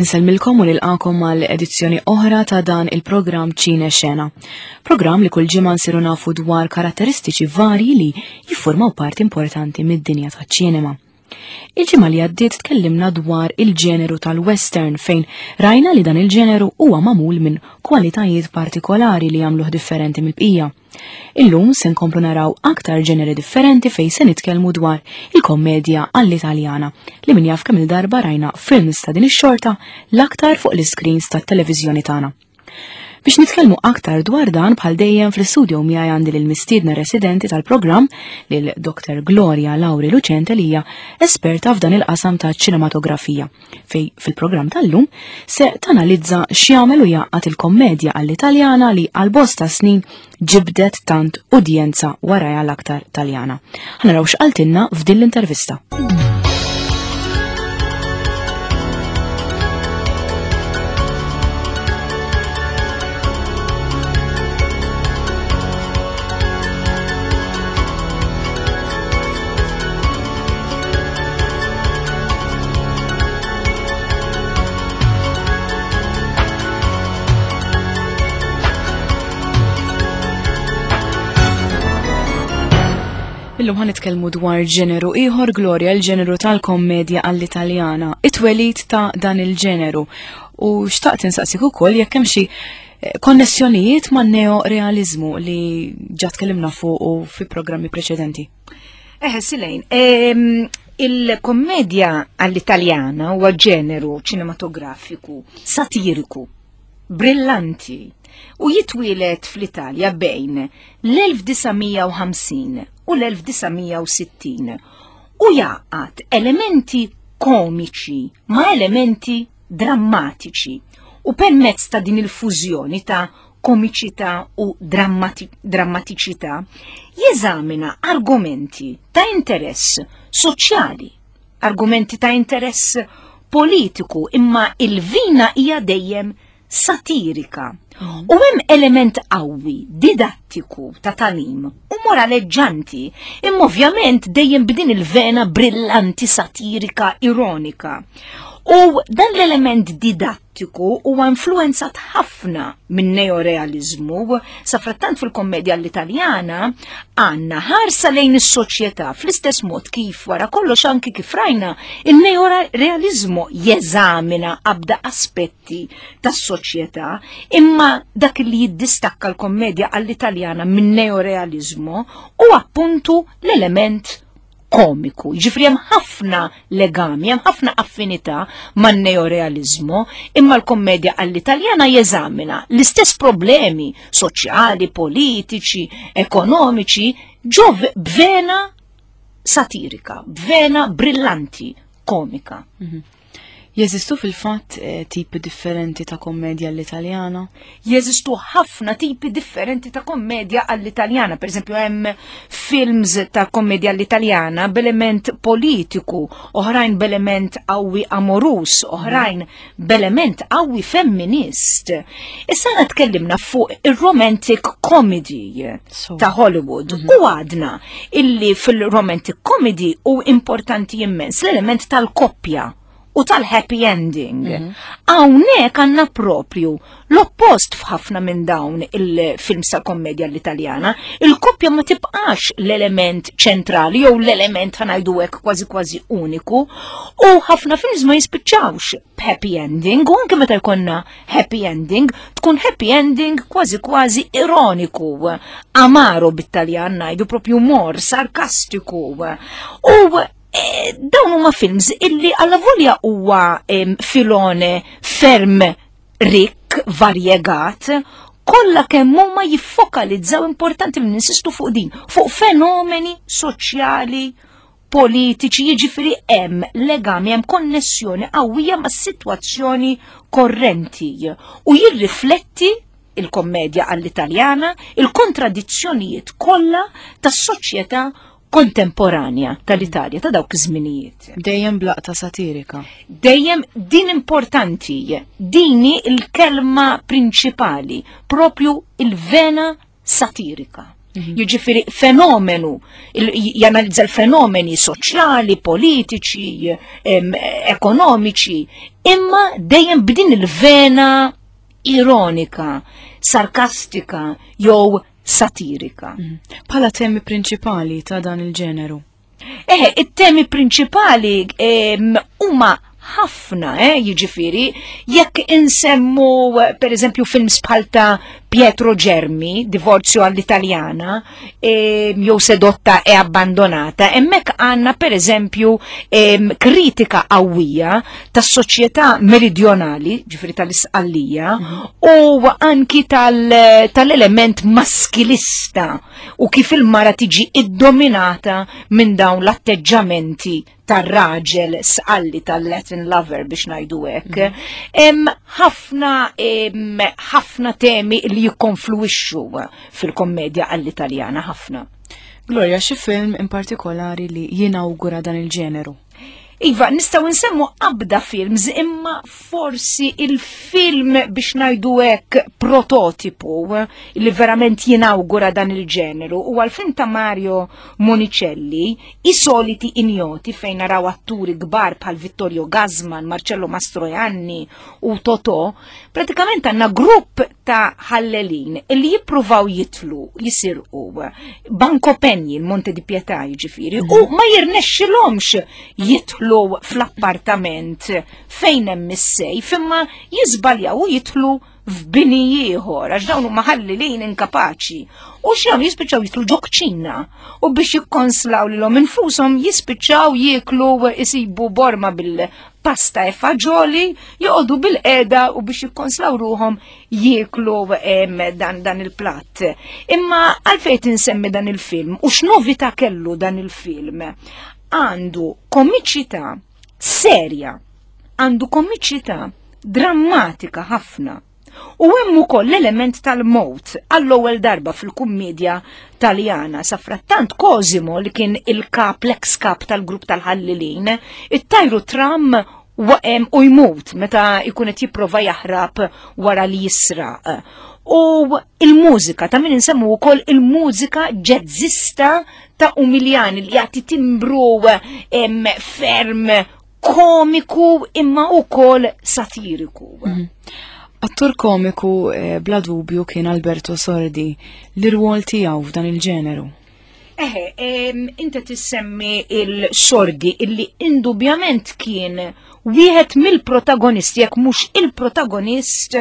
Insellmilkom u nilqakom għal edizzjoni oħra ta' dan il-programm Ċine Xena. Programm li kull ġimgħa nsiru nafu dwar karatteristiċi varji li jiffurmaw parti importanti mid-dinja taċ-ċinema. Il-ġimgħa li għaddiet tkellimna dwar il-ġeneru tal-western fejn rajna li dan il-ġeneru huwa magħmul minn kwalitajiet partikolari li jagħmluh differenti mill-bqija. Illum se nkomplu naraw aktar ġeneri differenti fejn se nitkellmu dwar il-kommedja għall-Italjana li min jaf kemm il-darba rajna films ta' din ix-xorta l-aktar fuq l-iscreens tat-televiżjoni tagħna. Biex nitkellmu aktar dwar dan bħal dejjem fl-istudio miegħi għandi lil mistiedna residenti tal-programm lil Dr. Gloria Lauri Lucente li hija esperta f'dan il-qasam ta' ċinematografija. fej fil-programm tal-lum se tanalizza x'jagħmel u jgħaqqad il-kommedja għall-Italjana li għal bosta snin ġibdet tant udjenza warajha l-aktar Taljana. Ħanaraw x'qaltilna f'din l-intervista. Illum ħan nitkellmu dwar ġeneru ieħor Gloria, l-ġeneru tal-kommedja għall-Italjana, it-twelid ta' dan il-ġeneru. U xtaqt insaqsik ukoll jekk hemm xi eh, konnessjonijiet ma' neorealizmu li ġa tkellimna fuq u fi programmi preċedenti. Eħe, Silejn, il-kommedja għall-Italjana huwa ġeneru ċinematografiku satiriku, brillanti, u jitwielet fl-Italja bejn l-1950 u l-1960 u jgħaqqad elementi komiċi ma' elementi drammatiċi u permezz ta' din il-fużjoni ta' komiċità u drammatiċità, jeżamina argumenti ta' interess soċjali, argumenti ta' interess politiku, imma il-vina hija dejjem satirika. Mm. U hemm element qawwi, didattiku ta' talim u moraleġġanti, imma ovvjament dejjem b'din il-vena brillanti satirika ironika. U dan l-element didattiku Tiku huwa influenzat ħafna minn neorealizmu, safrattant fil-kommedja l-Italjana għandna ħarsa lejn is-soċjetà fl-istess mod kif wara kollox anki kif rajna il-neorealizmu jeżamina abda aspetti tas-soċjetà, imma dak li jiddistakka l-kommedja għall-Italjana minn neorealizmu u appuntu l-element komiku. Ġifri hemm ħafna legami, hemm ħafna affinità man-neorealizmu, imma l-kommedja għall-Italjana jeżamina l-istess problemi soċjali, politiċi, ekonomiċi, ġo b'vena satirika, b'vena brillanti komika. Mhm. Jeżistu fil-fatt eh, tipi differenti ta' kommedja għall-Italjana? Jeżistu ħafna tipi differenti ta' kommedja għall-Italjana. Per eżempju, hemm films ta' kommedja għall-Italjana b'element politiku, oħrajn b'element qawwi amorus, oħrajn b'element qawwi femminist. Issa għana tkellimna fuq il-romantic comedy ta' Hollywood mhm. u għadna illi fil-romantic comedy u importanti immens l-element tal-koppja u tal-happy ending. Mhm. Hawnhekk għandna propju l-oppost f'ħafna minn dawn il-films ta' kommedja l-Italjana, il-koppja ma tibqax l-element ċentrali jew l-element ħanajdu hekk kważi kważi uniku u ħafna films ma jispiċċawx b'happy ending u anke meta jkollna happy ending tkun happy ending kważi kważi ironiku, amaro bit-Taljan ngħidu propju mor, sarkastiku. U Eh, dawn huma films illi alla volja huwa filone ferm rikk, varjegat, kollha kemm huma jiffokalizzaw importanti li ninsistu fuq din, fuq fenomeni soċjali, politiċi, jiġifieri hemm legami, hemm konnessjoni qawwija mas-sitwazzjoni korrenti u jirrifletti il-kommedja għall-Italjana, il-kontradizzjonijiet kollha tas-soċjetà kontemporanja tal-Italja ta' dawk iż-żminijiet. Dejjem blaqta satirika. Dejjem din importanti, dini il-kelma prinċipali, propju il-vena satirika. Mhm. Jiġifieri fenomenu, janalizza l-fenomeni soċjali, politiċi, ekonomiċi, imma dejjem b'din il-vena ironika, sarkastika jew satirika. Mhm. Bħala temi prinċipali ta' dan il-ġeneru. Eħe, it-temi prinċipali huma ħafna, eh, jiġifieri, jekk insemmu per eżempju films bħal ta' Pietro Germi, Divorzio all'Italiana, eh, jew Sedotta e Abbandonata, hemmhekk għandna per eżempju eh, kritika qawwija tas-soċjetà meridjonali, ġifieri tal-Isqallija, u anki tal-element maskilista u kif il-mara tiġi iddominata minn dawn l-atteġġamenti tar-raġel sqalli tal-Latin lover biex ngħidu hekk. Mhm. Hemm ħafna ħafna temi li jikkonfluwixxu fil-kommedja għall-Italjana ħafna. Gloria, xi film in partikolari li jinawgura dan il-ġeneru? Iva, nistaw nsemmu qabda films, imma forsi il-film biex najdu hekk prototipu li verament jinawgura dan il-ġeneru u għal-film ta' Mario Monicelli, I soliti ignoti fejn naraw atturi kbar bħal Vittorio Gassman, Marcello Mastroianni u Totò, pratikament għandna grupp ta' ħallelin li jippruvaw jitlu, jisirqu, Banco Penji, il-Monte di Pietà jiġifieri, u mhm. ma jirnexxilhomx jitlu fl-appartament fejn hemm is-sejf, imma jiżbaljaw u jitlu f'bini ieħor għax dawn huma ħallilin inkapaċi. U x'jagħmlu jispiċċaw jitlu ġo kċina u biex jikkonslaw lilhom infushom jispiċċaw jieklu isibu borma bil pasta e faġoli, joqogħdu bil-qeda u biex jikkonslaw ruhom jieklu dan, dan il-platt. Imma għalfejn tinsemmi dan il-film u x'novità kellu dan il-film? Għandu komiċità serja, għandu komiċità drammatika ħafna. U hemm ukoll l-element tal-mowt għall-ewwel darba fil-kummedja Taljana. Safrattant Cosimo li kien il-kap, l-ex kap tal-grupp tal-ħallilin, it-tajru tram waqem u jmut meta jkun qed jipprova jaħrab wara li jisraq. U il-mużika, ta' min insemmu wkoll il-mużika ġezzista ta' Umiljani li jagħti timbru ferm komiku imma wkoll satiriku. Mhm. Attur komiku eh, bla dubju kien Alberto Sordi, l-irwol tiegħu f'dan il-ġeneru. Eħe, inti tissemmi il-Sordi illi indubjament kien wieħed mill-protagonisti, jekk mhux il-protagonist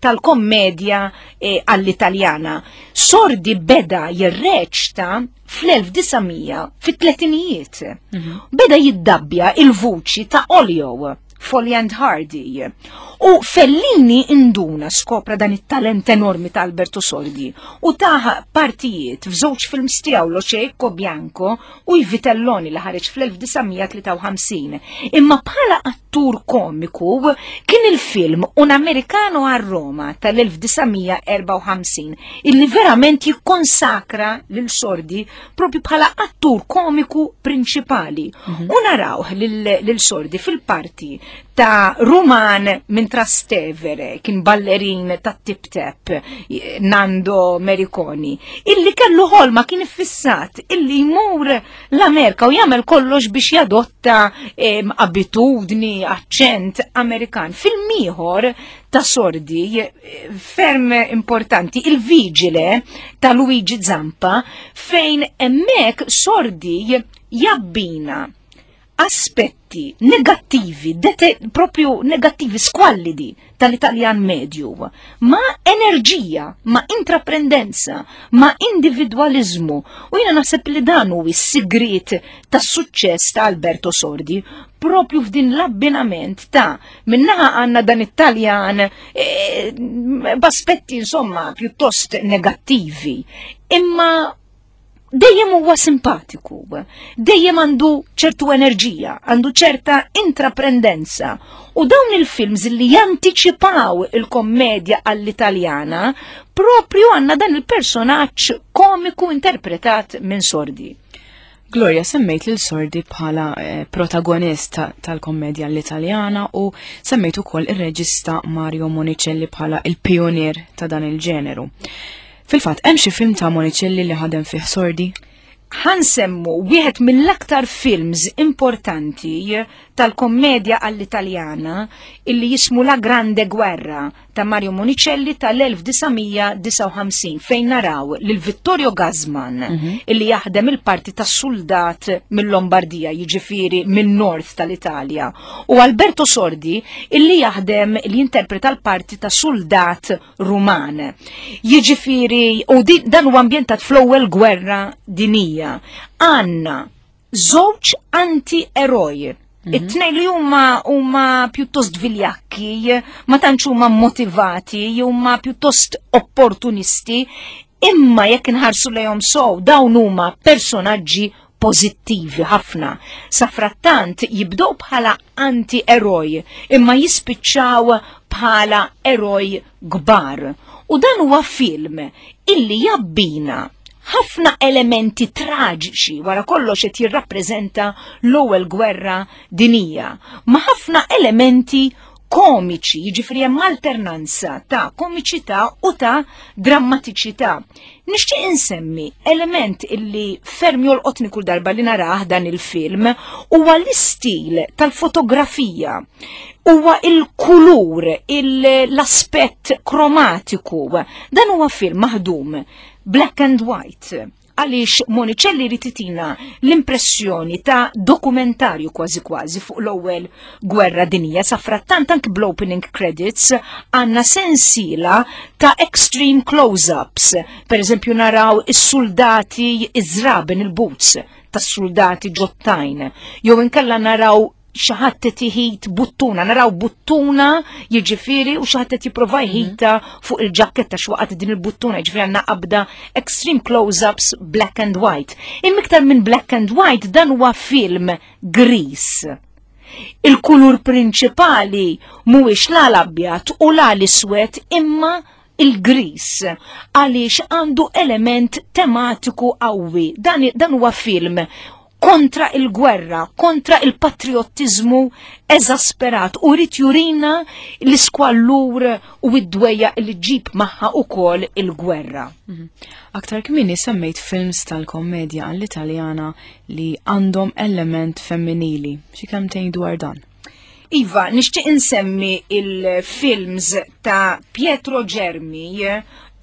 tal-kommedja eh, għall-Italjana. Sordi beda jirreċta fl-1900 fit-tletinijiet. Mhm. Beda jiddabbja il-vuċi ta' Olio, Folly and Hardy. U Fellini induna skopra dan it-talent enormi ta' Alberto Sordi u taħ partijiet f'żewġ films tiegħu Lo Cieco Bianco u I Vitelloni li ħareġ fl-1953. Imma bħala attur komiku kien il-film Un Americano a Roma tal-1954 illi verament jikkonsakra lil Sordi propju bħala attur komiku prinċipali. Mhm. U narawh lil Sordi fil-parti ta' Ruman minn Trastevere, kien ballerin ta' Tip Tap, Nando Mericoni, illi kellu ħolma kien iffissat illi jmur l-Amerika u jagħmel kollox biex jadotta abitudni, aċċent Amerikan. Film ieħor ta' Sordi ferm importanti, il-Vigile ta' Luigi Zampa, fejn hemmhekk Sordi jabbina aspetti negattivi, propju negattivi squallidi tal-Italjan medju, ma' enerġija, ma' intraprendenza, ma' individwaliżmu. U jiena naħseb li dan hu s-sigriet tas-suċċess ta' Alberto Sordi, propju f'din l-abbinament ta' minnaħa għandna dan it-Taljan e, b'aspetti insomma pjuttost negattivi, imma dejjem huwa simpatiku, dejjem għandu ċertu enerġija, għandu ċerta intraprendenza. U dawn il-films li jantiċipaw il-kommedja għall-Italjana, propju għanna dan il-personaġġ komiku interpretat minn Sordi. Gloria, semmejt lil Sordi bħala eh, protagonist tal-kommedja l-Italjana u semmejt ukoll ir-reġista Mario Monicelli bħala il-pionier ta' dan il-ġeneru. Fil-fatt, hemm xi film ta' Monicelli li ħadem fih Sordi? Ħansemmu wieħed mill-aktar films importanti tal-kommedja għall-Italjana illi jismu La Grande Guerra ta' Mario Monicelli tal-1959 fejn naraw lil Vittorio Gassman illi jaħdem il-parti ta' suldat mill-Lombardija, jiġifieri min-North tal-Italja, u Alberto Sordi illi jaħdem li jinterpreta l-parti ta' suldat Ruman. Jiġifieri u dan huwa ambjentat fl-ewwel gwerra dinija. Għandna żewġ anti-eroj. It-tnejn li huma huma pjuttost viljakki, ma tantx huma motivati, huma pjuttost opportunisti, imma jekk inħarsu lejhom sow dawn huma personaġġi pożittivi ħafna. Safrattant jibdew bħala anti-eroj, imma jispiċċaw bħala eroj kbar. U dan huwa film illi jabbina ħafna elementi traġiċi wara kollox qed jirrappreżenta l-ewwel gwerra dinija, ma' ħafna elementi komiċi, jiġifieri hemm alternanza ta' komiċità u ta' drammatiċità. Nixtieq insemmi element illi ferm jolqotni kull darba li narah dan il-film huwa l-istil tal-fotografija. Huwa il-kulur, l-aspett kromatiku. Dan huwa film maħdum black and white għaliex Monicelli jrid itina l-impressjoni ta' dokumentarju kważi kważi fuq l-ewwel gwerra dinija. Sa frattant anki bl-opening credits għandna sensiela ta' extreme close-ups. Per eżempju naraw is-soldati iż-żraben il-boots tas-soldati ġottajn. Jew inkella naraw xi ħadd qed iħit buttuna, naraw buttuna jiġifieri u xi ħadd qed jipprova jħita fuq il-ġakketta x'waqgħet din il-buttuna, jiġifieri għandna qabda extreme close-ups black and white. Imma iktar minn black and white dan huwa film gris. Il-kulur prinċipali mhuwiex la l-abjad u la l-iswed imma il-gris għaliex għandu element tematiku qawwi. Dan, dan huwa film kontra il-gwerra, kontra il-patriottiżmu eżasperat u rrid jurina l-iskwallur u id-dwejja li ġib magħha ukoll il-gwerra. Aktar kmieni semmejt films tal-kommedja għall-Italjana li għandhom element femminili. Xi kelmtejn dwar dan? Iva, nixtieq insemmi il-films ta' Pietro Germi,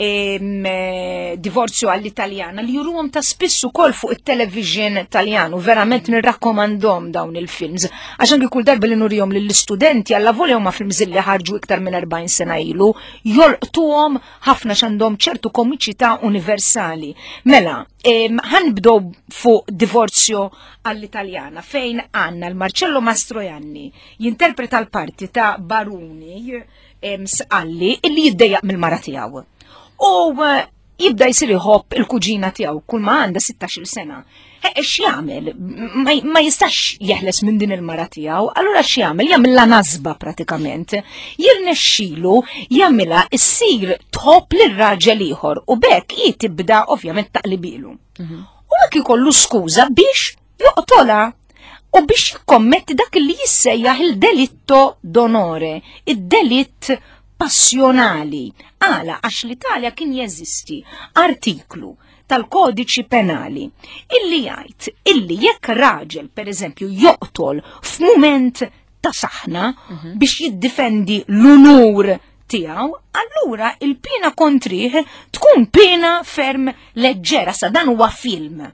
Divorzju għall-Italjana, li juruhom ta' spiss ukoll fuq it-television Taljan u verament nirrakkomandhom dawn il-films. Għax anki kull darba li nurihom lill-istudenti alla volja huma films li ħarġu iktar minn 40 sena ilu, jolqtuhom ħafna x'għandhom ċertu komiċità universali. Mela, ħanibdew fuq Divorzju għall-Italjana fejn għandna l-Marcello Mastroianni jinterpreta l-parti ta' Baruni Sqalli illi jiddejjaq mill-mara tiegħu. U jibda jsir iħobb il-kuġina tiegħu kull ma għandha 16-il sena. X'jagħmel? Ma jistax jeħles minn din il-mara tiegħu, allura x'jagħmel? Jagħmilha nasba pratikament. Jirnexxilu jagħmilha issir tħobb lir-raġel ieħor u bekk hi tibda ovvjament taqlibilu. U hekk ikollu skuża biex joqtolha u biex jikkommetti dak li jissejjaħ il-delitto d'onore, id-delitt passjonali. Għala, għax l-Italja kien jeżisti artiklu tal-kodiċi penali illi jgħid illi jekk raġel, per eżempju, joqtol f'mument ta' saħna biex jiddifendi l-unur tiegħu, allura il-pina kontrih tkun pina ferm leġġera. Sa dan huwa film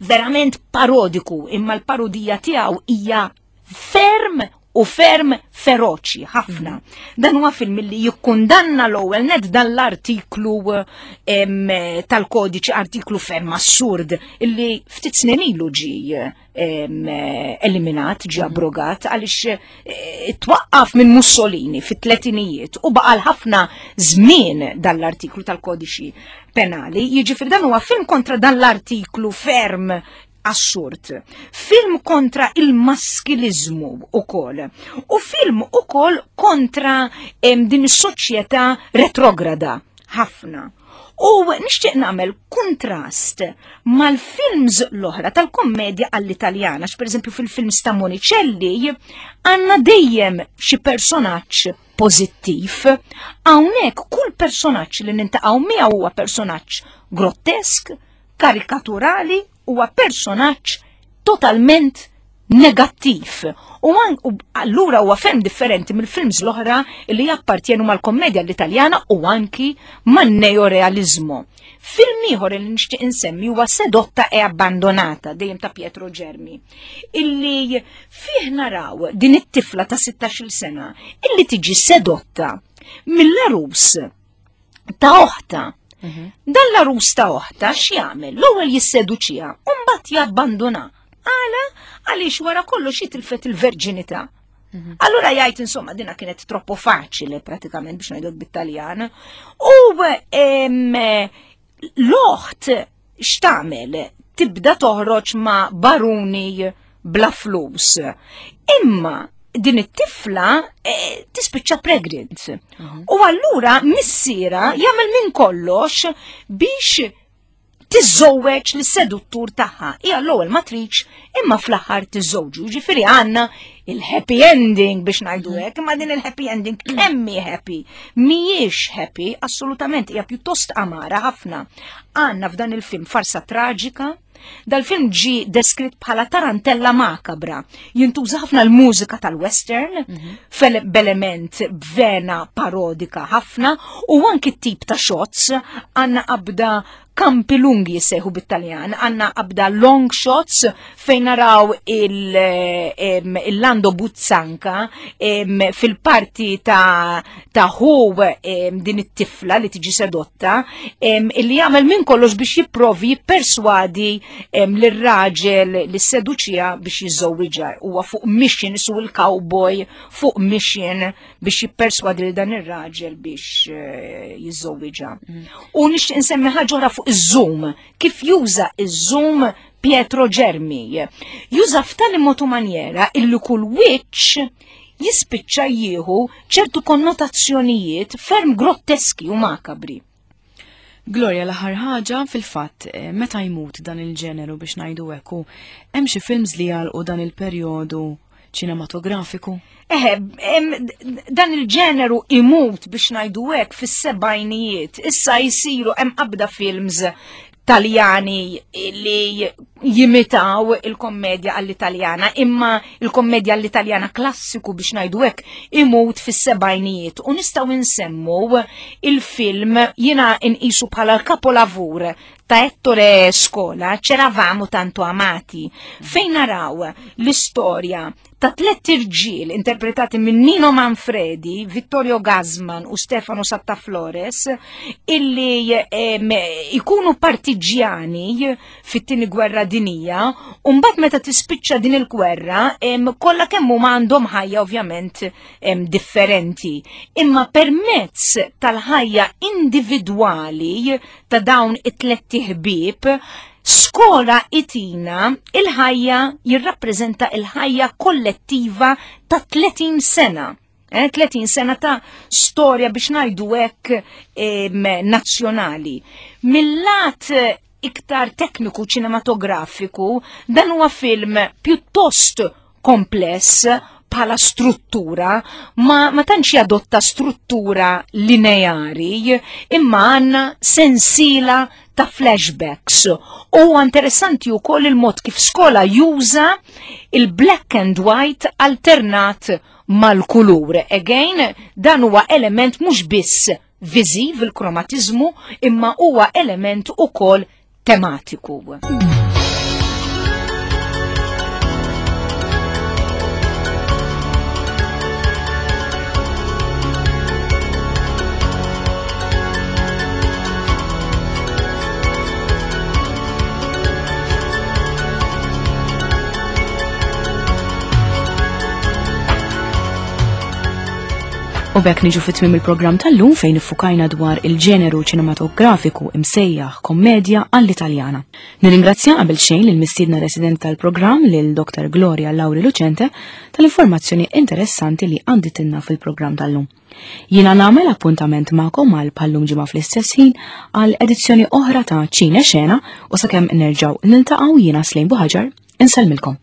verament parodiku, imma l-parodija tiegħu hija ferm u ferm feroċi ħafna. Dan huwa film li jikkundanna l-ewwel net dan l-artiklu tal-kodiċi, artiklu ferm assurd illi ftit snin ilu ġie eliminat, ġie abrogat għaliex twaqqaf minn Mussolini fit-tletinijiet u baqa' ħafna żmien dan l-artiklu tal-kodiċi penali. Jiġifieri dan huwa film kontra dan l-artiklu ferm assurd. Film kontra il-maskilizmu ukoll. U film ukoll kontra din is-soċjetà retrograda ħafna. U nixtieq nagħmel kuntrast mal-films l-oħra tal-kommedja għall-Italjana, pereżempju fil-films ta' Monicelli għandna dejjem xi personaġġ pożittiv. Hawnhekk kull personaġġ li nintaqgħu miegħu huwa personaġġ grottesk, karikaturali, huwa personaġġ totalment negattiv. U allura huwa ferm differenti mill-films l-oħra li jappartjenu mal-kommedja l-Italjana u anki man-neorealizmu. Film ieħor li nixtieq insemmi huwa Sedotta e Abbandonata dejjem ta' Pietro Germi, illi fih naraw din it-tifla ta' 16-il sena illi tiġi sedotta mill-arus ta' oħta. Mhm. Dan l-arus ta' oħta x'jagħmel? L-ewwel jisseduċiha u mbagħad jabbanduna. Għala għaliex wara kollox jitilfet il-verġinità. Mhm. Allura jgħid insomma dina kienet troppo faċili pratikament biex ngħidu bit-Taljan. U l-oħt x'tagħmel? Tibda toħroġ ma' baruni bla flus. Imma din it-tifla eh, tispiċċa pregnant. Mhm. U allura missiera jagħmel minn kollox biex tiżżowweġ lis seduttur tagħha. Hija l-ewwel ma tridx imma fl-aħħar tiżżewġu. Ġifieri għandna il-happy ending biex ngħidu mhm. hekk, imma din il-happy ending kemm hi happy? Mhijiex happy, assolutament hija pjuttost amara ħafna. Għandna f'dan il-film farsa traġika, Dal-film ġi deskritt bħala tarantella makabra. Jintuża ħafna l-mużika tal-western, mm -hmm. b'element b'vena parodika ħafna, u anki t-tip ta' shots għanna qabda kampi lungi jissejħu bit-Taljan, għanna qabda long shots fejn naraw il-Lando Buzzanka fil-parti ta' ta' hu din it-tifla li tiġi sedotta illi jagħmel minn kollox biex jipprovi jipperswadi lir-raġel li seduċija biex jiżżewwiġha. Huwa fuq mission isu il-cowboy fuq mission biex jipperswadi lil dan ir-raġel biex eh, jiżżewwiġha. Mm. U nixtieq insemmi ħaġa oħra fuq iż-Zoom, kif juża iż-Zoom Pietro Germi. Juża f'tali mod u manjera illi kull wiċċ jispiċċa jieħu ċertu konnotazzjonijiet ferm grotteski u makabri. Gloria, l-aħħar ħaġa fil-fatt, eh, meta jmut dan il-ġeneru biex ngħidu hekk hemm xi films li jagħlqu dan il-perjodu ċinematografiku? Eħe, dan il-ġeneru imut biex ngħidu hekk fis-sebgħinijiet. Issa jsiru hemm qabda films Taljani li jimitaw il-kommedja għall-Italjana, imma il-kommedja għall-Italjana klassiku biex ngħidu hekk imut fis-sebgħinijiet. U nistgħu nsemmu il-film jiena nqisu bħala l-kapolavur ta' Ettore Scola, C'eravamo tanto amati, fejn naraw l-istorja ta' tlett irġiel interpretati minn Nino Manfredi, Vittorio Gassman u Stefano Sattaflores illi ikunu partiġjani fit-tieni gwerra dinija u mbagħad meta tispiċċa din il-gwerra kollha kemm huma għandhom ħajja ovvjament differenti. Imma permezz tal-ħajja individwali ta' dawn it-tlett ħbieb Skola itina il-ħajja jirrappreżenta il-ħajja kollettiva ta' 30 sena. 30 eh, sena ta' storja biex ngħidu hekk nazzjonali. Mill-lat iktar tekniku ċinematografiku, dan huwa film pjuttost kompless bħala struttura, ma, ma tantx jadotta struttura lineari, imma għandna sensiela ta' flashbacks. U interessanti wkoll il-mod kif skola juża il-black and white alternat mal-kulur. Again, dan huwa element mhux biss viżiv il-kromatizmu, imma huwa element ukoll tematiku. U bekk niġu fit tmim il-programm tal-lum fejn iffukajna dwar il-ġeneru ċinematografiku imsejjaħ kommedja għall-Italjana. Nirringrazzja qabel xejn lil mistiedna resident tal-programm lil Dr. Gloria Lauri Lucente tal-informazzjoni interessanti li għanditinna fil-programm tal-lum. Jiena nagħmel appuntament magħkom għal bħallum ġimgħa fl-istess ħin għal edizzjoni oħra ta' Ċine Xena u sakemm nerġgħu niltaqgħu jiena Slejn Buħaġar insellmilkom.